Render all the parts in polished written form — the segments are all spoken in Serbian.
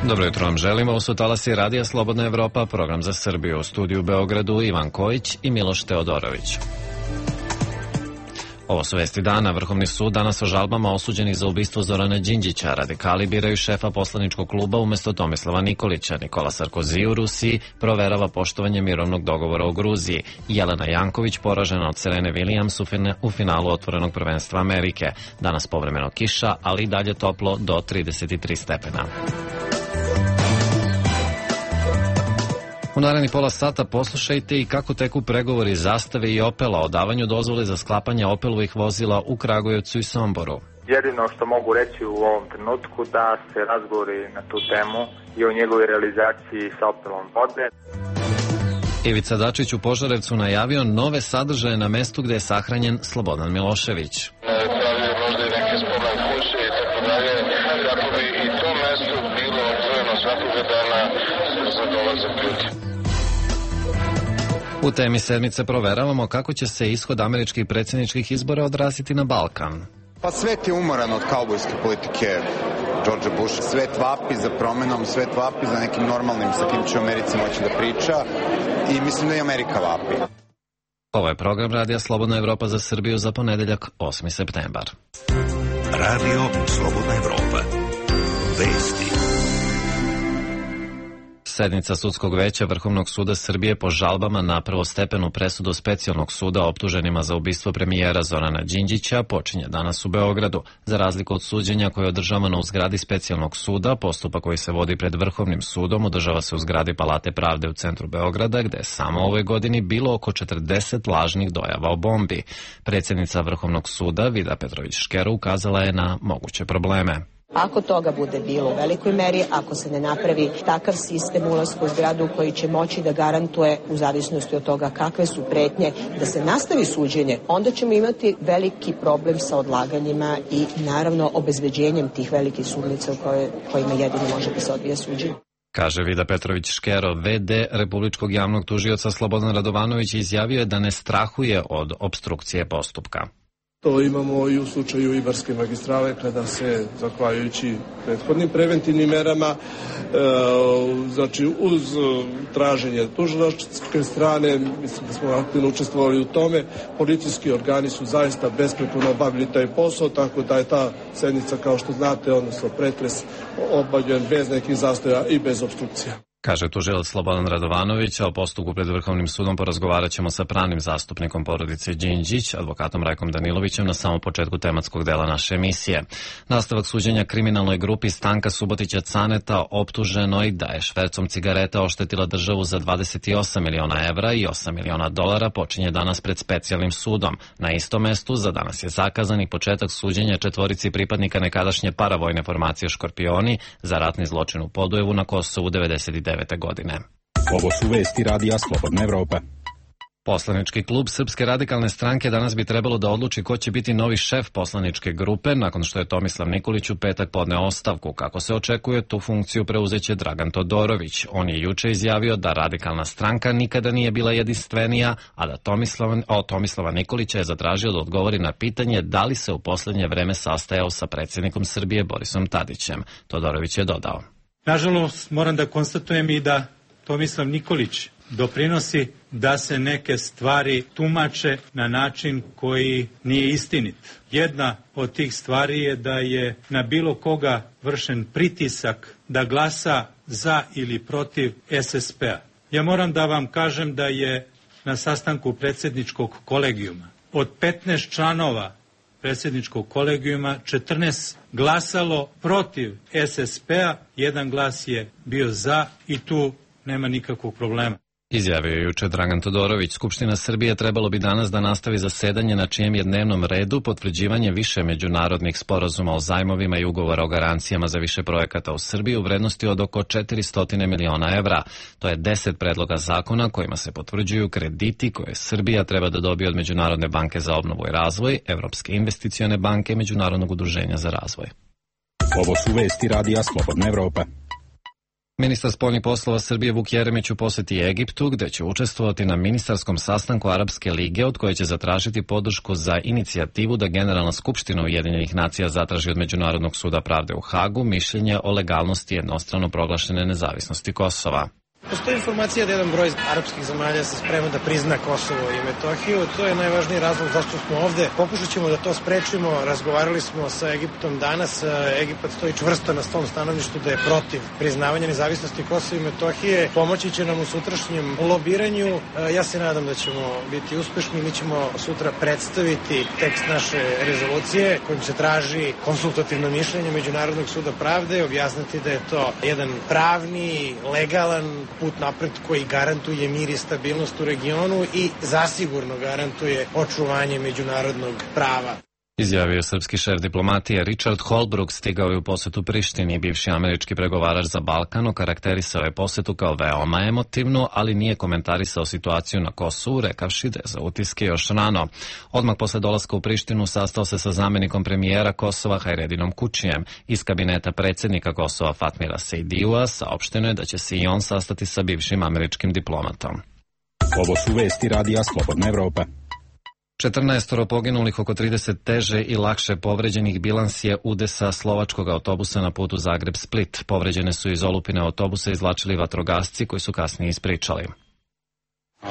Dobro jutro vam želimo, ovo su talasi Radija Slobodna Evropa, program za Srbiju. U studiju u Beogradu Ivan Kojić i Miloš Teodorović. Ovo su vesti dana. Vrhovni sud danas o žalbama osuđenih za ubistvo Zorana Đinđića. Radikali biraju šefa poslaničkog kluba umesto Tomislava Nikolića. Nikola Sarkozy u Rusiji proverava poštovanje mirovnog dogovora u Gruziji. Jelena Janković poražena od Serene Williams u finalu otvorenog prvenstva Amerike. Danas povremeno kiša, ali i dalje toplo do 33 stepena. U narednih pola sata poslušajte i kako teku pregovori Zastave i Opela o davanju dozvole za sklapanje Opelovih vozila u Kragujevcu i Somboru. Jedino što mogu reći u ovom trenutku da se razgovori na tu temu i o njegovoj realizaciji sa Opelom vode. Ivica Dačić u Požarevcu najavio nove sadržaje na mestu gde je sahranjen Slobodan Milošević. Možda i neke spomen kuće i tako dalje, kako bi i to mesto bilo otvoreno svakoga dana za dolazak ljudi. U temi sedmice proveravamo kako će se ishod američkih predsjedničkih izbora odraziti na Balkan. Pa svet je umoran od kaubojske politike Georgea Busha. Svet vapi za promenom, svet vapi za nekim normalnim sa kim će u Americi moći da priča i mislim da i Amerika vapi. Ovo je program Radija Slobodna Evropa za Srbiju za ponedeljak 8. septembar. Radio Slobodna Evropa. Vesti. Sednica sudskog veća Vrhovnog suda Srbije po žalbama na prvostepenu presudu Specijalnog suda optuženima za ubistvo premijera Zorana Đinđića počinje danas u Beogradu. Za razliku od suđenja koje je održavano u zgradi Specijalnog suda, postupak koji se vodi pred Vrhovnim sudom održava se u zgradi Palate pravde u centru Beograda, gde je samo ove godini bilo oko 40 lažnih dojava o bombi. Predsjednica Vrhovnog suda Vida Petrović-Škero ukazala je na moguće probleme. Ako toga bude bilo u velikoj meri, ako se ne napravi takav sistem ulaska u zgradu koji će moći da garantuje, u zavisnosti od toga kakve su pretnje, da se nastavi suđenje, onda ćemo imati veliki problem sa odlaganjima i naravno obezbeđenjem tih velikih sudnica u kojima jedino može da se odvija suđenje. Kaže Vida Petrović-Škero, VD Republičkog javnog tužioca Slobodan Radovanović izjavio je da ne strahuje od opstrukcije postupka. To imamo i u slučaju Ibarske magistrale kada se, zahvaljujući prethodnim preventivnim merama, znači uz traženje tužilačke strane, mislim da smo aktivno učestvovali u tome, policijski organi su zaista besprekorno obavili taj posao, tako da je ta sednica, kao što znate, odnosno pretres, obavljen bez nekih zastoja i bez opstrukcija. Kaže tužilac Slobodan Radovanović, a o postupku pred Vrhovnim sudom porazgovarat ćemo sa pravnim zastupnikom porodice Đinđić, advokatom Rajkom Danilovićem, na samom početku tematskog dela naše emisije. Nastavak suđenja kriminalnoj grupi Stanka Subotića Caneta, optuženoj da je švercom cigareta oštetila državu za 28 miliona evra i 8 miliona dolara, počinje danas pred Specijalnim sudom. Na istom mestu za danas je zakazan i početak suđenja četvorici pripadnika nekadašnje paravojne formacije Škorpioni za ratni zločin u Podujevu na Kosovu 99. godine. Ovo su vesti Radija Slobodna Evropa. Poslanički klub Srpske radikalne stranke danas bi trebalo da odluči ko će biti novi šef poslaničke grupe nakon što je Tomislav Nikolić u petak podneo ostavku. Kako se očekuje, tu funkciju preuzeće Dragan Todorović. On je juče izjavio da radikalna stranka nikada nije bila jedinstvenija, a da Tomislava Nikolića je zatražio da odgovori na pitanje da li se u poslednje vreme sastajao sa predsjednikom Srbije Borisom Tadićem. Todorović je dodao: Nažalost, moram da konstatujem i da Tomislav Nikolić doprinosi da se neke stvari tumače na način koji nije istinit. Jedna od tih stvari je da je na bilo koga vršen pritisak da glasa za ili protiv SSP-a. Ja moram da vam kažem da je na sastanku predsjedničkog kolegijuma od 15 članova predsjedničkog kolegijuma 14 glasalo protiv SSP-a, jedan glas je bio za i tu nema nikakvog problema. Izjavio je juče Dragan Todorović. Skupština Srbije trebalo bi danas da nastavi zasedanje na čijem je dnevnom redu potvrđivanje više međunarodnih sporazuma o zajmovima i ugovora o garancijama za više projekata u Srbiji u vrednosti od oko 400 miliona evra. To je 10 predloga zakona kojima se potvrđuju krediti koje Srbija treba da dobije od Međunarodne banke za obnovu i razvoj, Evropske investicione banke i Međunarodnog udruženja za razvoj. Ovo su vesti Radija Slobodna Evropa. Ministar spoljnih poslova Srbije Vuk Jeremić u poseti Egiptu, gde će učestvovati na ministarskom sastanku Arapske lige, od koje će zatražiti podršku za inicijativu da Generalna skupština Ujedinjenih nacija zatraži od Međunarodnog suda pravde u Hagu mišljenje o legalnosti jednostrano proglašene nezavisnosti Kosova. Postoji informacija da jedan broj arapskih zemalja se sprema da prizna Kosovo i Metohiju. To je najvažniji razlog zašto smo ovde. Pokušat ćemo da to sprečimo. Razgovarali smo sa Egiptom danas. Egipat stoji čvrsto na tom stanovištu da je protiv priznavanja nezavisnosti Kosova i Metohije. Pomoći će nam u sutrašnjem lobiranju. Ja se nadam da ćemo biti uspešni. Mi ćemo sutra predstaviti tekst naše rezolucije kojim se traži konsultativno mišljenje Međunarodnog suda pravde, objasniti da je to jedan pravni, legalan put napred koji garantuje mir i stabilnost u regionu i zasigurno garantuje očuvanje međunarodnog prava. Izjavio srpski šef diplomatije Richard Holbrooke, stigao je u posetu Prištini. Bivši američki pregovarač za Balkan okarakterisao je posetu kao veoma emotivnu, ali nije komentarisao situaciju na Kosovu, rekavši da je za utiske još rano. Odmah posle dolaska u Prištinu sastao se sa zamenikom premijera Kosova Hajredinom Kučijem. Iz kabineta predsjednika Kosova Fatmira Sejdijua saopšteno je da će se i on sastati sa bivšim američkim diplomatom. Ovo su vesti Radija Slobodna Evropa. 14 poginulih, oko 30 teže i lakše povređenih, bilans je udesa slovačkog autobusa na putu Zagreb-Split. Povređene su iz olupine autobusa izvlačili vatrogasci koji su kasnije ispričali.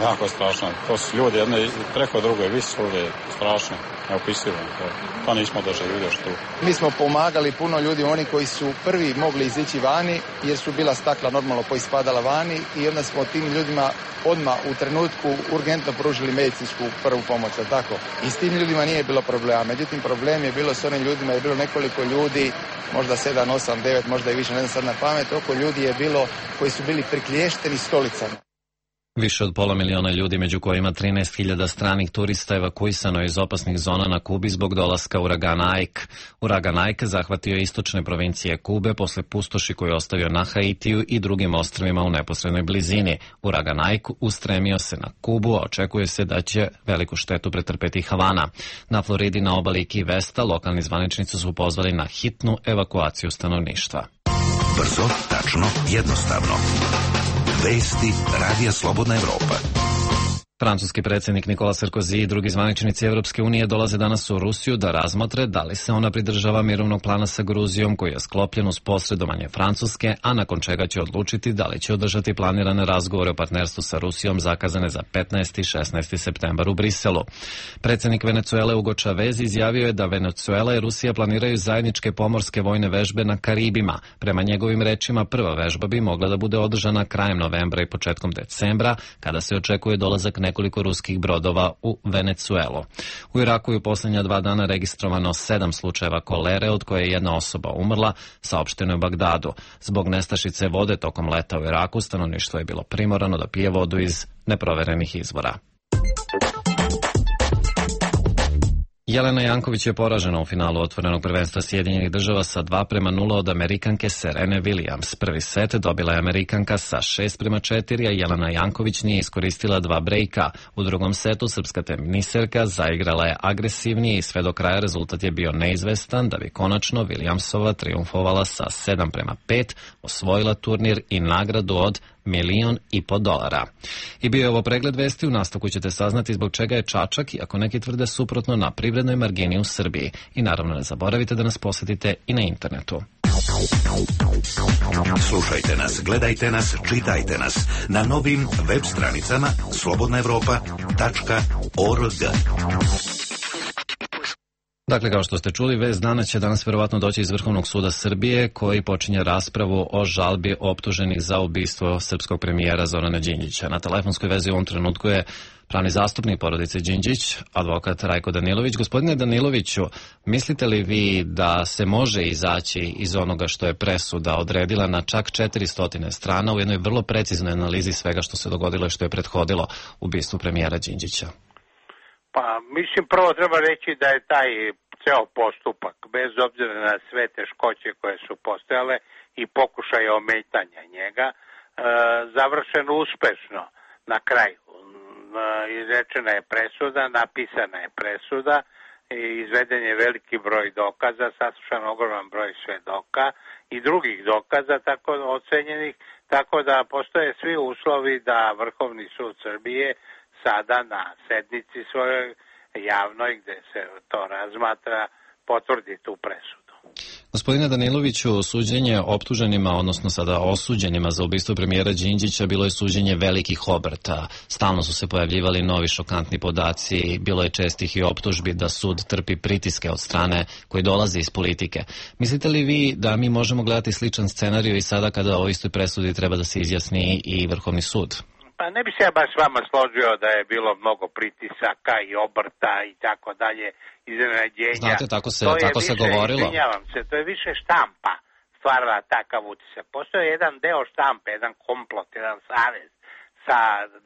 Jako strašno. To su ljudi jedne preko druge visove, strašno, neopisivo. To nismo doživjeli još tu. Mi smo pomagali puno ljudi, oni koji su prvi mogli izići vani, jer su bila stakla normalno poispadala vani i onda smo tim ljudima odmah u trenutku urgentno pružili medicinsku prvu pomoć, tako. I s tim ljudima nije bilo problema. Međutim, problem je bilo s onim ljudima, je bilo nekoliko ljudi, možda 7, 8, 9, možda i više, ne znam sad na pamet, oko ljudi je bilo koji su bili prikliješteni stolicama. Više od 500.000 ljudi, među kojima 13.000 stranih turista, evakuisano je iz opasnih zona na Kubi zbog dolaska uragana Ike. Uragan Ike zahvatio je istočne provincije Kube posle pustoši koju je ostavio na Haitiju i drugim ostrvima u neposrednoj blizini. Uragan Ike ustremio se na Kubu, a očekuje se da će veliku štetu pretrpeti Havana. Na Floridi, na obali Key Westa, lokalni zvaničnici su pozvali na hitnu evakuaciju stanovništva. Brzo, tačno, jednostavno. Vesti Radija Slobodna Evropa. Francuski predsjednik Nicolas Sarkozy i drugi zvaničnici Evropske unije dolaze danas u Rusiju da razmotre da li se ona pridržava mirovnog plana sa Gruzijom koji je sklopljen uz posredovanje Francuske, a nakon čega će odlučiti da li će održati planirane razgovore o partnerstvu sa Rusijom zakazane za 15. i 16. septembar u Briselu. Predsjednik Venecuele Hugo Chavez izjavio je da Venecuela i Rusija planiraju zajedničke pomorske vojne vežbe na Karibima. Prema njegovim rečima, prva vežba bi mogla da bude održana krajem novembra i početkom decembra, kada se očekuje dolazak nekoliko ruskih brodova u Venecuelu. U Iraku je u posljednja 2 dana registrovano 7 slučajeva kolere, od koje je jedna osoba umrla, saopšteno je u Bagdadu. Zbog nestašice vode tokom leta u Iraku, stanovništvo je bilo primorano da pije vodu iz neproverenih izvora. Jelena Janković je poražena u finalu otvorenog prvenstva Sjedinjenih država sa 2:0 od Amerikanke Serene Williams. Prvi set dobila je Amerikanka sa 6:4, a Jelena Janković nije iskoristila 2 brejka. U drugom setu srpska teniserka zaigrala je agresivnije i sve do kraja rezultat je bio neizvestan, da bi konačno Williamsova triumfovala sa 7:5, osvojila turnir i nagradu od $1.500.000. I bio je ovo pregled vesti, u nastavku ćete saznati zbog čega je Čačak, iako neki tvrde suprotno, na privrednoj margini u Srbiji. I naravno ne zaboravite da nas posjetite i na internetu. Slušajte nas, gledajte nas, čitajte nas na novim web stranicama slobodnaevropa.org. Dakle, kao što ste čuli, vest dana će danas verovatno doći iz Vrhovnog suda Srbije, koji počinje raspravu o žalbi optuženih za ubistvo srpskog premijera Zorana Đinđića. Na telefonskoj vezi u ovom trenutku je pravni zastupnik porodice Đinđić, advokat Rajko Danilović. Gospodine Daniloviću, mislite li vi da se može izaći iz onoga što je presuda odredila na čak 400 strana u jednoj vrlo preciznoj analizi svega što se dogodilo i što je prethodilo ubistvu premijera Đinđića? Pa, mislim, prvo treba reći da je taj ceo postupak, bez obzira na sve teškoće koje su postojale i pokušaje ometanja njega, završen uspešno na kraju. Izrečena je presuda, napisana je presuda izveden je veliki broj dokaza, saslušan ogroman broj svedoka i drugih dokaza tako ocenjenih, tako da postoje svi uslovi da Vrhovni sud Srbije sada na sednici svojoj javnoj gde se to razmatra potvrdi tu presudu. Gospodine Daniloviću, suđenje optuženima, odnosno sada osuđenima za ubistvo premijera Đinđića bilo je suđenje velikih obrta. Stalno su se pojavljivali novi šokantni podaci, bilo je čestih i optužbi da sud trpi pritiske od strane koji dolaze iz politike. Mislite li vi da mi možemo gledati sličan scenarij i sada kada o istoj presudi treba da se izjasni i Vrhovni sud? Pa ne bi se ja baš s vama složio da je bilo mnogo pritisaka i obrta i tako dalje, iznenađenja. Znate, tako se govorilo. Izvinjavam se, to je više štampa stvarala takav utisak. Postoje jedan deo štampe, jedan komplot, jedan savez sa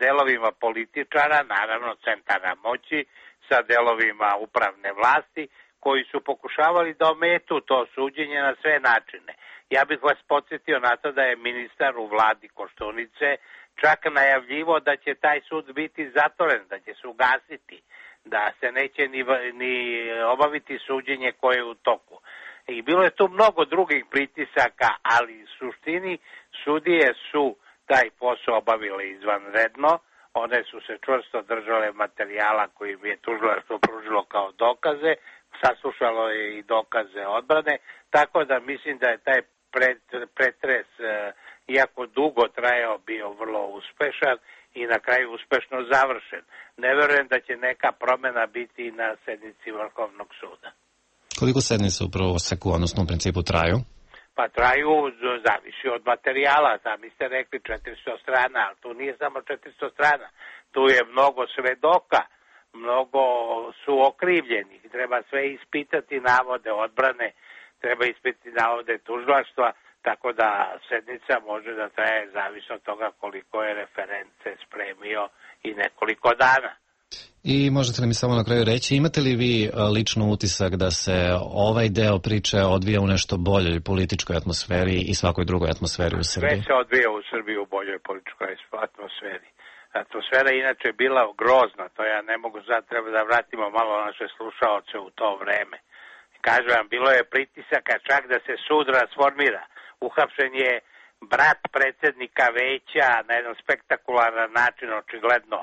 delovima političara, naravno centara moći, sa delovima upravne vlasti, koji su pokušavali da ometu to suđenje na sve načine. Ja bih vas podsjetio na to da je ministar u vladi Koštunice čak najavljivo da će taj sud biti zatvoren, da će se ugasiti, da se neće ni obaviti suđenje koje je u toku. I bilo je tu mnogo drugih pritisaka, ali u suštini sudije su taj posao obavile izvanredno, one su se čvrsto držale materijala koji im je tužilaštvo pružilo kao dokaze, saslušalo je i dokaze odbrane, tako da mislim da je taj pretres, iako dugo trajao, bio vrlo uspešan i na kraju uspešno završen. Ne verujem da će neka promena biti na sednici Vrhovnog suda. Koliko sednice u proseku, odnosno u principu traju? Pa traju, zavisi od materijala, sami ste rekli 400 strana, ali tu nije samo 400 strana, tu je mnogo svedoka, mnogo su okrivljenih, treba sve ispitati navode odbrane, treba ispitati navode tužilaštva, tako da sednica može da traje zavisno od toga koliko je reference spremio i nekoliko dana. I možete li mi samo na kraju reći, imate li vi lično utisak da se ovaj deo priče odvija u nešto boljoj političkoj atmosferi i svakoj drugoj atmosferi u Srbiji? Sve se odvija u Srbiji u boljoj političkoj atmosferi. Atmosfera je inače bila grozna, to ja ne mogu sad, treba da vratimo malo naše slušaoce u to vreme. Kažem vam, bilo je pritisaka čak da se sud rasformira. Uhapšen je brat predsjednika veća na jedan spektakularan način, očigledno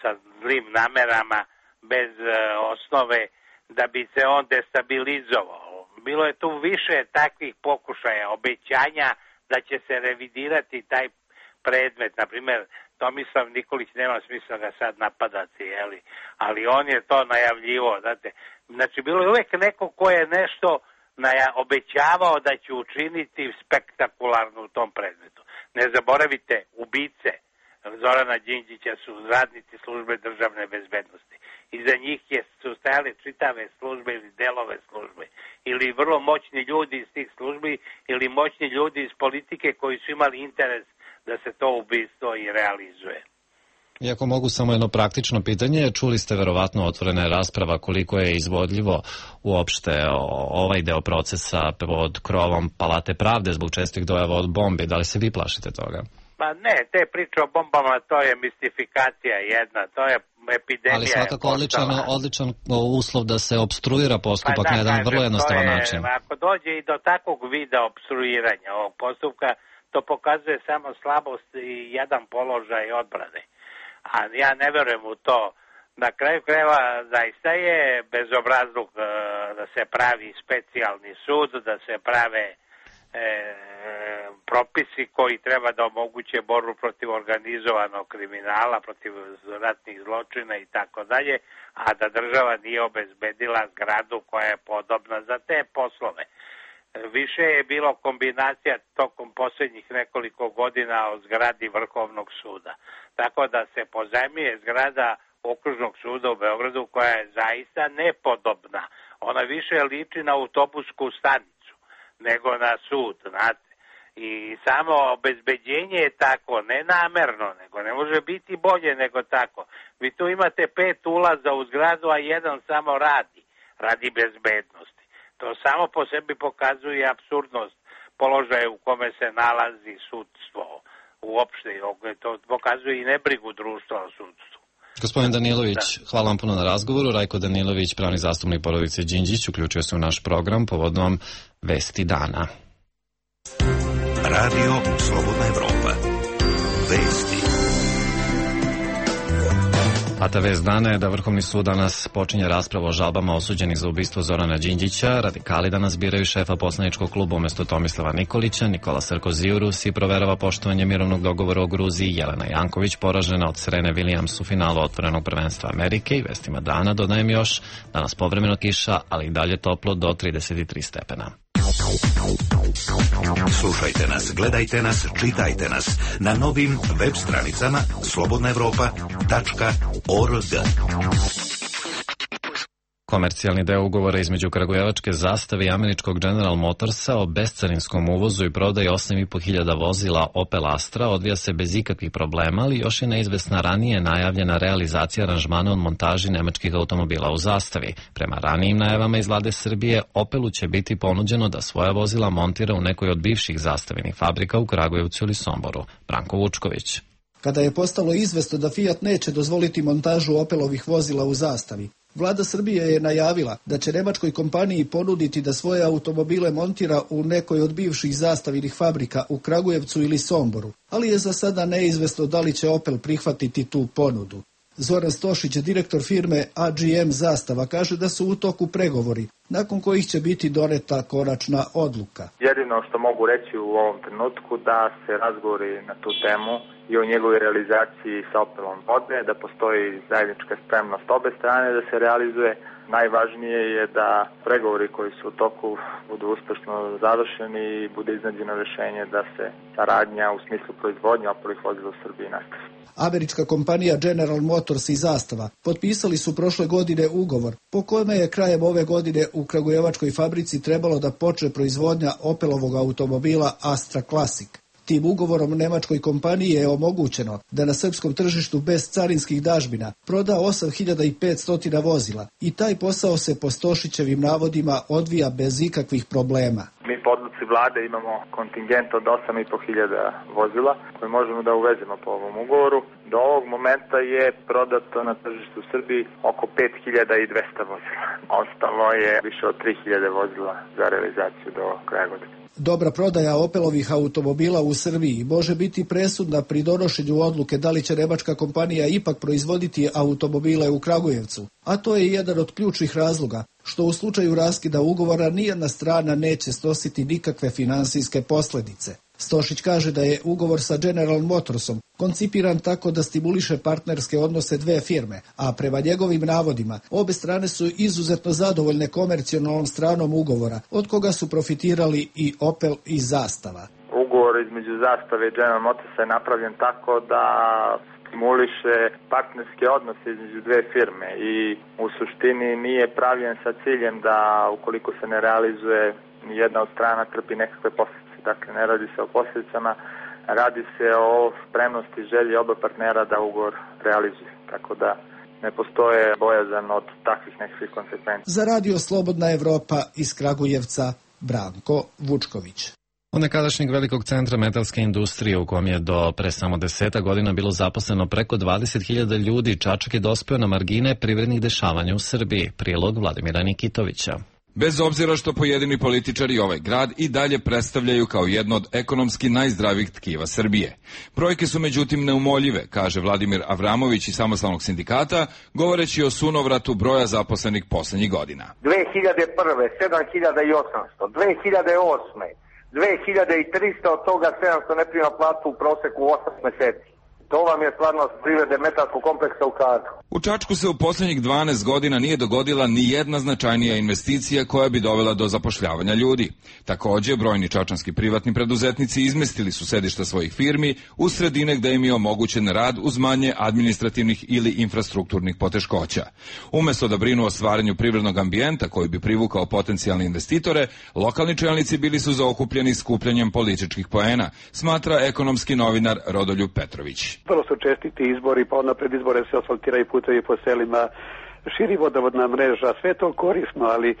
sa zlim namerama, bez osnove, da bi se on destabilizovao. Bilo je tu više takvih pokušaja, obećanja da će se revidirati taj predmet. Naprimjer, Tomislav Nikolić, nema smisla ga sad napadati, ali on je to najavljivo. Znači, bilo je uvek neko ko je nešto obećavao da će učiniti spektakularno u tom predmetu. Ne zaboravite, ubice Zorana Đinđića su radnici službe državne bezbednosti. Iza njih su stajale čitave službe ili delove službe. Ili vrlo moćni ljudi iz tih službi ili moćni ljudi iz politike koji su imali interes da se to ubistvo i realizuje. Iako mogu samo jedno praktično pitanje, čuli ste verovatno otvorena rasprava koliko je izvodljivo uopšte ovaj deo procesa pod krovom Palate pravde zbog čestih dojava od bombi. Da li se vi plašite toga? Pa ne, te priče o bombama, to je mistifikacija jedna, to je epidemija. Ali svakako odličan uslov da se opstruira postupak na jedan vrlo jednostavan način. Ako dođe i do takvog vida opstruiranja ovog postupka, to pokazuje samo slabost i jedan položaj odbrane. A ja ne verujem u to. Na kraju krajeva zaista je bezobrazluk da se pravi specijalni sud, da se prave propisi koji treba da omoguće borbu protiv organizovanog kriminala, protiv ratnih zločina i tako dalje, a da država nije obezbedila zgradu koja je podobna za te poslove. Više je bilo kombinacija tokom posljednjih nekoliko godina o zgradi Vrhovnog suda. Tako da se pozajmljuje zgrada Okružnog suda u Beogradu koja je zaista nepodobna. Ona više liči na autobusku stanicu nego na sud, znate. I samo obezbeđenje je tako, ne namerno, nego ne može biti bolje nego tako. Vi tu imate 5 ulaza u zgradu, a jedan samo radi bezbednosti. To samo po sebi pokazuje apsurdnost položaja u kome se nalazi sudstvo uopšte. To pokazuje i nebrigu društva o sudstvu. Gospodin Danilović, hvala vam puno na razgovoru. Rajko Danilović, pravni zastupnik porodice Đinđić, uključuje se u naš program povodom Vesti dana. Radio Slobodna Evropa. Vesti. A ta vest dana je da Vrhovni sud danas počinje raspravu o žalbama osuđenih za ubistvo Zorana Đinđića. Radikali danas biraju šefa poslaničkog kluba umesto Tomislava Nikolića. Nikola Sarkozy u Rusiji proverava poštovanje mirovnog dogovora o Gruziji. Jelena Janković poražena od Serene Williams u finalu otvorenog prvenstva Amerike. I vestima dana dodajem još danas povremeno kiša, ali i dalje toplo do 33 stepena. Slušajte nas, gledajte nas, čitajte nas na novim web stranicama slobodnaevropa.org. Komercijalni deo ugovora između kragujevačke Zastave i američkog General Motorsa o bescarinskom uvozu i prodaji 8.500 vozila Opel Astra odvija se bez ikakvih problema, ali još je neizvesna ranije najavljena realizacija aranžmana od montaži nemačkih automobila u Zastavi. Prema ranijim najavama iz vlade Srbije, Opelu će biti ponuđeno da svoja vozila montira u nekoj od bivših Zastavinih fabrika u Kragujevcu ili Somboru. Branko Vučković. Kada je postalo izvesno da Fiat neće dozvoliti montažu Opelovih vozila u Zastavi, Vlada Srbije je najavila da će nemačkoj kompaniji ponuditi da svoje automobile montira u nekoj od bivših Zastavinih fabrika u Kragujevcu ili Somboru, ali je za sada neizvesno da li će Opel prihvatiti tu ponudu. Zoran Stošić, direktor firme AGM Zastava, kaže da su u toku pregovori, nakon kojih će biti doneta konačna odluka. Jedino što mogu reći u ovom trenutku da se razgovori na tu temu i o njegovoj realizaciji sa Opelom vode, da postoji zajednička spremnost obe strane da se realizuje. Najvažnije je da pregovori koji su u toku budu uspešno završeni i bude iznađeno rješenje da se saradnja u smislu proizvodnje Opelovih vozila u Srbiji nastavi. Američka kompanija General Motors i Zastava potpisali su prošle godine ugovor po kojima je krajem ove godine u kragujevačkoj fabrici trebalo da počne proizvodnja Opelovog automobila Astra Classic. Tim ugovorom nemačkoj kompaniji je omogućeno da na srpskom tržištu bez carinskih dažbina proda 8.500 vozila i taj posao se po Stošićevim navodima odvija bez ikakvih problema. Mi po odluci vlade imamo kontingent od 8.500 vozila koje možemo da uvezemo po ovom ugovoru. Do ovog momenta je prodato na tržištu u Srbiji oko 5.200 vozila. Ostalo je više od 3.000 vozila za realizaciju do kraja godine. Dobra prodaja Opelovih automobila u Srbiji može biti presudna pri donošenju odluke da li će nemačka kompanija ipak proizvoditi automobile u Kragujevcu, a to je jedan od ključnih razloga što u slučaju raskida ugovora nijedna strana neće snositi nikakve finansijske posljedice. Stošić kaže da je ugovor sa General Motorsom koncipiran tako da stimuliše partnerske odnose dve firme, a prema njegovim navodima obe strane su izuzetno zadovoljne komercijalnom stranom ugovora, od koga su profitirali i Opel i Zastava. Ugovor između Zastave i General Motorsa je napravljen tako da stimuliše partnerske odnose između dve firme i u suštini nije pravljen sa ciljem da ukoliko se ne realizuje jedna od strana trpi nekakve posljedice. Dakle, ne radi se o posljedicama, radi se o spremnosti i želji oba partnera da ugovor realizuje. Tako da ne postoje bojazan od takvih nekakvih konsekvencija. Za Radio Slobodna Evropa iz Kragujevca, Branko Vučković. Od nekadašnjeg velikog centra metalske industrije u kom je do pre samo 10 godina bilo zaposleno preko 20.000 ljudi, Čačak je dospeo na margine privrednih dešavanja u Srbiji. Prilog Vladimira Nikitovića. Bez obzira što pojedini političari ovaj grad i dalje predstavljaju kao jedno od ekonomski najzdravijih tkiva Srbije. Brojke su međutim neumoljive, kaže Vladimir Avramović iz Samostalnog sindikata, govoreći o sunovratu broja zaposlenih poslednjih godina. 2001. 7.800, 2008. 2.300, od toga 700 ne prima platu u proseku 8 meseci. To vam je stvarnost privrede metalskog kompleksa u Čačku. U Čačku se u posljednjih 12 godina nije dogodila ni jedna značajnija investicija koja bi dovela do zapošljavanja ljudi. Također, brojni čačanski privatni preduzetnici izmestili su sedišta svojih firmi u sredine gde im je omogućen rad uz manje administrativnih ili infrastrukturnih poteškoća. Umesto da brinu o stvaranju privrednog ambijenta koji bi privukao potencijalne investitore, lokalni čelnici bili su zaokupljeni skupljanjem političkih poena, smatra ekonomski novinar Rodoljub Petrović. Vrlo su čestiti izbori, pa onda pred izbore se asfaltiraju putevi po selima, širi vodovodna mreža, sve to korisno, ali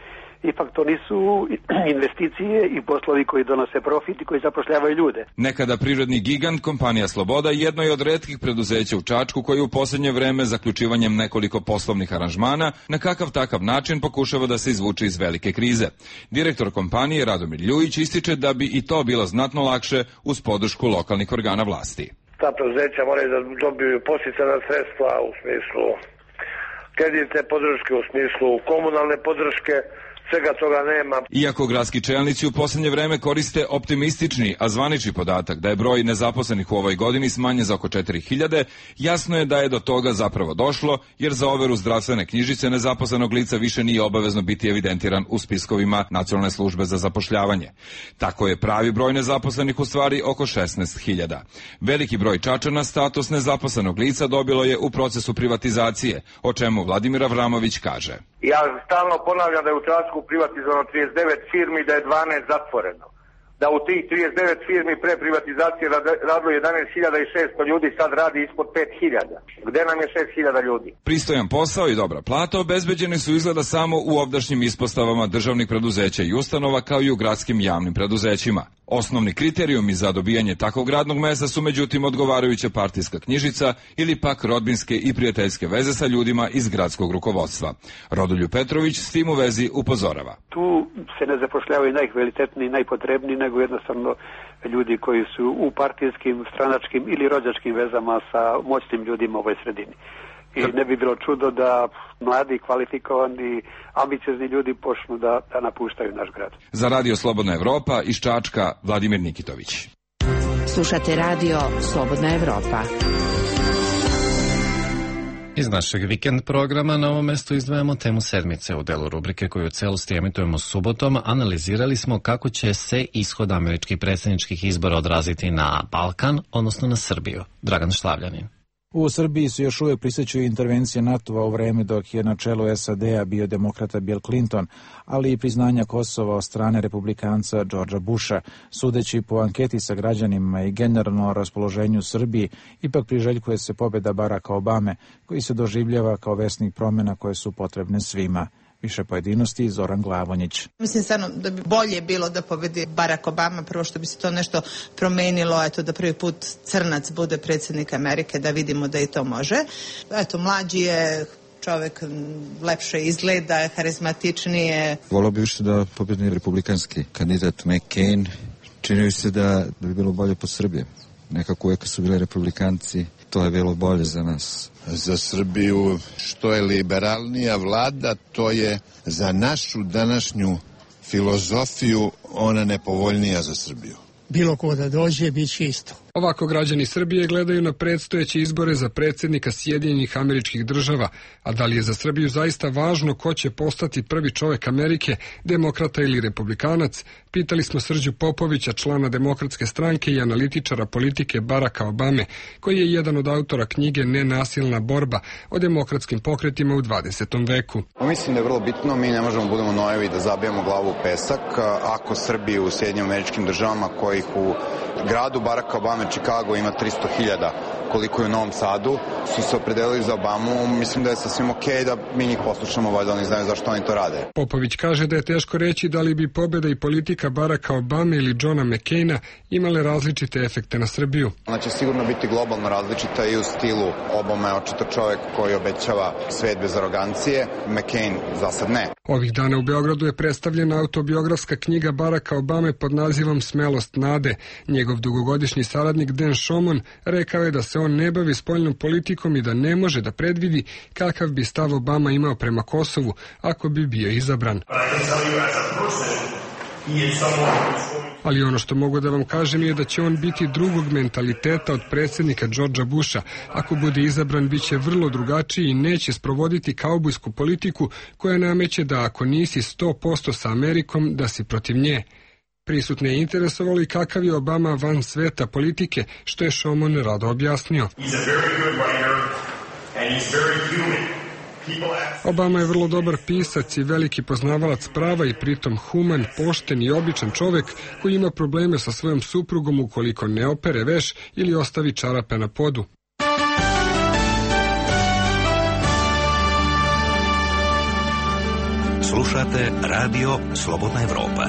ipak to nisu investicije i poslovi koji donose profit i koji zapošljavaju ljude. Nekada privredni gigant, kompanija Sloboda, jedno je od retkih preduzeća u Čačku koji u posljednje vreme zaključivanjem nekoliko poslovnih aranžmana na kakav takav način pokušava da se izvuče iz velike krize. Direktor kompanije Radomir Ljujić ističe da bi i to bilo znatno lakše uz podršku lokalnih organa vlasti. Ta preduzeća moraju da dobiju podsticajna sredstva u smislu kreditne podrške, u smislu komunalne podrške, svega toga nema. Iako gradski čelnici u posljednje vreme koriste optimistični, a zvanični podatak da je broj nezaposlenih u ovoj godini smanjen za oko 4000, jasno je da je do toga zapravo došlo, jer za overu zdravstvene knjižice nezaposlenog lica više nije obavezno biti evidentiran u spiskovima Nacionalne službe za zapošljavanje. Tako je pravi broj nezaposlenih u stvari oko 16.000. Veliki broj Čačana status nezaposlenog lica dobilo je u procesu privatizacije, o čemu Vladimir Avramović kaže. Ja stalno ponavljam da je u Čačku privatizovano 39 firmi, da je 12 zatvoreno. Da u tih 39 firmi pre privatizacije radilo 11.600 ljudi, sad radi ispod 5.000. Gde nam je 6.000 ljudi? Pristojan posao i dobra plata obezbeđeni su izgleda samo u ovdašnjim ispostavama državnih preduzeća i ustanova kao i u gradskim javnim preduzećima. Osnovni kriterijumi za dobijanje takvog radnog mesta su međutim odgovarajuća partijska knjižica ili pak rodbinske i prijateljske veze sa ljudima iz gradskog rukovodstva. Rodoljub Petrović s tim u vezi upozorava. Tu se ne zapošljavaju najkvalitetniji, najpotrebniji, nego jednostavno ljudi koji su u partijskim, stranačkim ili rođačkim vezama sa moćnim ljudima u ovoj sredini. I ne bi bilo čudo da mladi, kvalifikovani, ambiciozni ljudi počnu da napuštaju naš grad. Za Radio Slobodna Evropa iz Čačka, Vladimir Nikitović. Slušate Radio Slobodna Evropa. Iz našeg vikend programa na ovom mestu izdvajamo temu sedmice. U delu rubrike koju u celosti emitujemo subotom analizirali smo kako će se ishod američkih predsjedničkih izbora odraziti na Balkan, odnosno na Srbiju. Dragan Šlavljanin. U Srbiji se još uvijek prisjećaju intervencije NATO-a u vreme dok je na čelu SAD-a bio demokrata Bill Clinton, ali i priznanja Kosova od strane republikanca Georgea Busha. Sudeći po anketi sa građanima i generalno o raspoloženju Srbiji, ipak priželjkuje se pobjeda Baracka Obame, koji se doživljava kao vesnik promjena koje su potrebne svima. Više pojedinosti, Zoran Glavonjić. Mislim stvarno da bi bolje bilo da pobedi Barack Obama, prvo što bi se to nešto promenilo, eto da prvi put crnac bude predsjednik Amerike, da vidimo da i to može. Eto, mlađi je čovjek, lepše izgleda, harizmatičnije. Volio bi više da pobedi republikanski kandidat McCain. Čini se da bi bilo bolje po Srbiji. Nekako uvijek su bili republikanci, to je bilo bolje za nas. Za Srbiju što je liberalnija vlada, to je za našu današnju filozofiju ona nepovoljnija za Srbiju. Bilo ko da dođe, bit će isto. Ovako građani Srbije gledaju na predstojeće izbore za predsjednika Sjedinjenih Američkih Država, a da li je za Srbiju zaista važno ko će postati prvi čovjek Amerike, demokrata ili republikanac, pitali smo Srđu Popovića, člana Demokratske stranke i analitičara politike Baracka Obame, koji je jedan od autora knjige Nenasilna borba o demokratskim pokretima u 20. veku. Mislim da je vrlo bitno, mi ne možemo budemo nojevi da zabijemo glavu u pesak. Ako Srbiju u Sjedinjenim Američkim Državama, kojih u gradu Baracka Obame Chicago ima 300.000 koliko je u Novom Sadu, su se opredelili za Obamu, mislim da je sasvim okej da mi njih poslušamo, valjda oni znaju zašto oni to rade. Popović kaže da je teško reći da li bi pobjeda i politika Baracka Obame ili Johna McCaina imale različite efekte na Srbiju. Ona će sigurno biti globalno različita i u stilu. Obama je očito čovjek koji obećava svet bez arogancije, McCain za sad ne. Ovih dana u Beogradu je predstavljena autobiografska knjiga Baracka Obame pod nazivom Smelost nade. Njegov dugogodišnji saradnik Dan Shomon rekao je da se on ne bavi spoljnom politikom i da ne može da predvidi kakav bi stav Obama imao prema Kosovu ako bi bio izabran. Ali ono što mogu da vam kažem je da će on biti drugog mentaliteta od predsjednika Georgea Busha. Ako bude izabran, bit će vrlo drugačiji i neće sprovoditi kaubojsku politiku koja nameće da ako nisi 100% sa Amerikom, da si protiv nje. Prisutne je interesovalo i kakav je Obama van sveta politike, što je Shomon rado objasnio. Obama je vrlo dobar pisac i veliki poznavalac prava i pritom human, pošten i običan čovjek koji ima probleme sa svojom suprugom ukoliko ne opere veš ili ostavi čarape na podu. Slušate Radio Slobodna Evropa.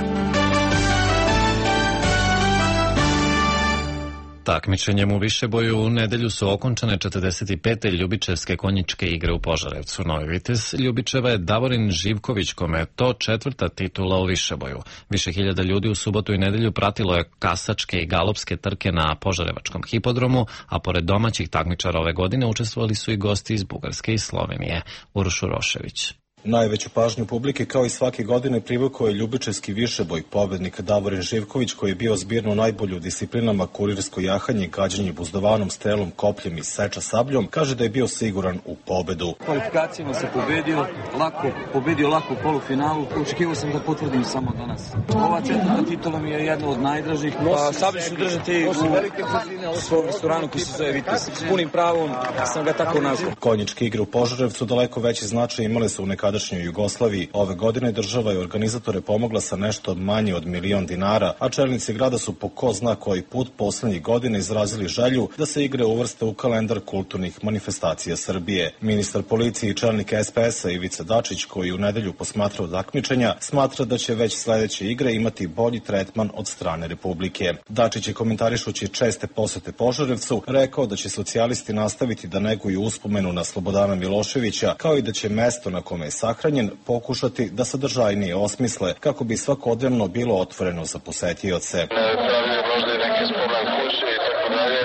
Takmičenjem u višeboju u nedelju su okončane 45. ljubičevske konjičke igre u Požarevcu. Novi vitez Ljubičeva je Davorin Živković, kome je to 4. titula u višeboju. Više hiljada ljudi u subotu i nedelju pratilo je kasačke i galopske trke na Požarevačkom hipodromu, a pored domaćih takmičara ove godine učestvovali su i gosti iz Bugarske i Slovenije. Uroš Urošević. Najveću pažnju publike kao i svake godine privukao je ljubičevski višeboj. Pobednik Davorin Živković, koji je bio zbirno najbolji u disciplinama kurirsko jahanje, gađanje buzdovanom, strelom, kopljem i seča sabljom, kaže da je bio siguran u pobedu. Kvalifikacijama se pobedio lako u polufinalu. Očekivao sam da potvrdim samo danas. Ova 4. titula mi je jedna od najdražih. Pa sablju ću držati u svom restoranu koji se zove Vitez. S punim pravom sam ga tako nazvao. Konjičke igre u Požarevcu daleko veći značaj imale su u nekadašnjoj Jugoslaviji. Ove godine država i organizatore pomogla sa nešto manje od $1.000.000, a čelnici grada su po ko zna koji put poslednjih godina izrazili želju da se igre uvrste u kalendar kulturnih manifestacija Srbije. Ministar policije i čelnik SPS-a Ivica Dačić, koji u nedelju posmatrao takmičenja, smatra da će već sledeće igre imati bolji tretman od strane Republike. Dačić je, komentarišući česte posete Požarevcu, rekao da će socijalisti nastaviti da neguju uspomenu na Slobodana Miloševića, kao i da će mesto na kome je sahranjen pokušati da sadržajnije osmisle kako bi svakodnevno bilo otvoreno za posetioce. Možda i neke spomen kuće i tako dalje,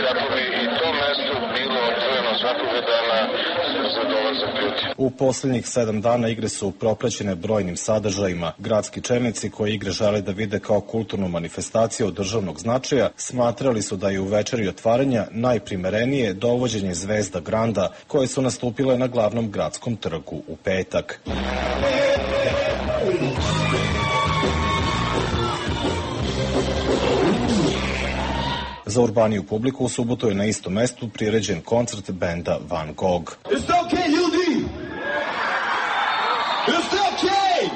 kako bi i to mesto bilo otvoreno svakog dana za dolazak ljudi. U poslednjih 7 dana igre su propraćene brojnim sadržajima. Gradski čelnici koji igre žele da vide kao kulturnu manifestaciju od državnog značaja smatrali su da je u večeri otvaranja najprimerenije dovođenje zvezda Granda koje su nastupile na glavnom gradskom trgu u petak. Za urbaniju publiku u subotu je na istom mestu priređen koncert benda Van Gogh. Jeste okej, ljudi? Jeste okej?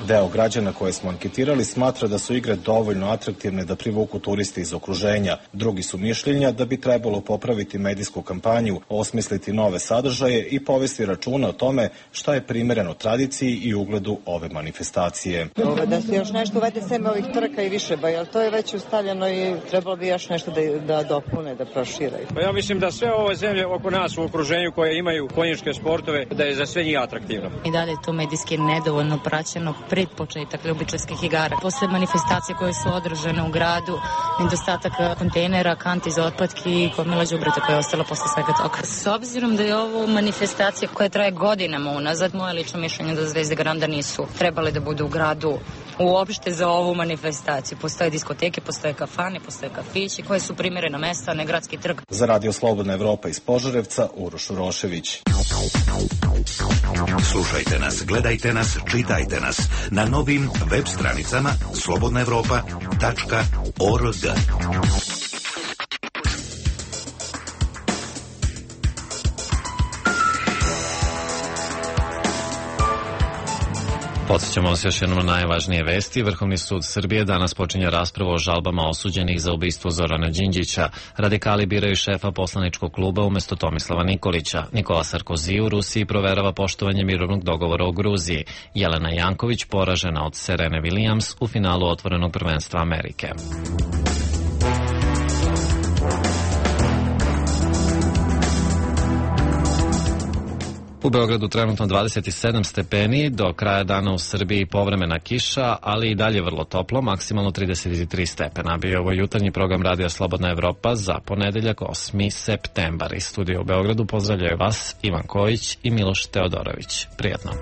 Deo građana koje smo anketirali smatra da su igre dovoljno atraktivne da privuku turiste iz okruženja. Drugi su mišljenja da bi trebalo popraviti medijsku kampanju, osmisliti nove sadržaje i povesti računa o tome šta je primereno tradiciji i ugledu ove manifestacije. Da se još nešto uvede sem ovih trka i višeboja, ali to je već ustavljeno i trebalo bi još nešto da dopune, da proširaju. Pa ja mislim da sve ove zemlje oko nas u okruženju koje imaju konjičke sportove, da je za sve njih atraktivno. I dalje je to medijski nedovoljno praćeno pred početak ljubičevskih igara. Posle manifestacije koje su održane u gradu, nedostatak kontejnera, kanti za otpadke i gomila đubreta koje je ostalo posle svega toga. S obzirom da je ovo manifestacija koja traje godinama unazad, moje lično mišljenje da zvezde Granda nisu trebale da budu u gradu uopšte za ovu manifestaciju. Postoje diskoteke, postoje kafane, postoje kafići koje su primerena mesta, ne gradski trg. Za Radio Slobodna Evropa iz Požarevca, Uroš Urošević. Slušajte nas, gledajte nas, čitajte nas na novim web stranicama slobodnaevropa.org. Podsjećamo vas još jednom na najvažnije vesti. Vrhovni sud Srbije danas počinje raspravu o žalbama osuđenih za ubistvo Zorana Đinđića. Radikali biraju šefa poslaničkog kluba umesto Tomislava Nikolića. Nikola Sarkozy u Rusiji proverava poštovanje mirovnog dogovora o Gruziji. Jelena Janković poražena od Serene Williams u finalu otvorenog prvenstva Amerike. U Beogradu trenutno 27 stepeni, do kraja dana u Srbiji povremena kiša, ali i dalje vrlo toplo, maksimalno 33 stepena. Bio ovo jutarnji program Radija Slobodna Evropa za ponedeljak 8. septembar. Iz studija u Beogradu pozdravljaju vas Ivan Kojić i Miloš Teodorović. Prijetno.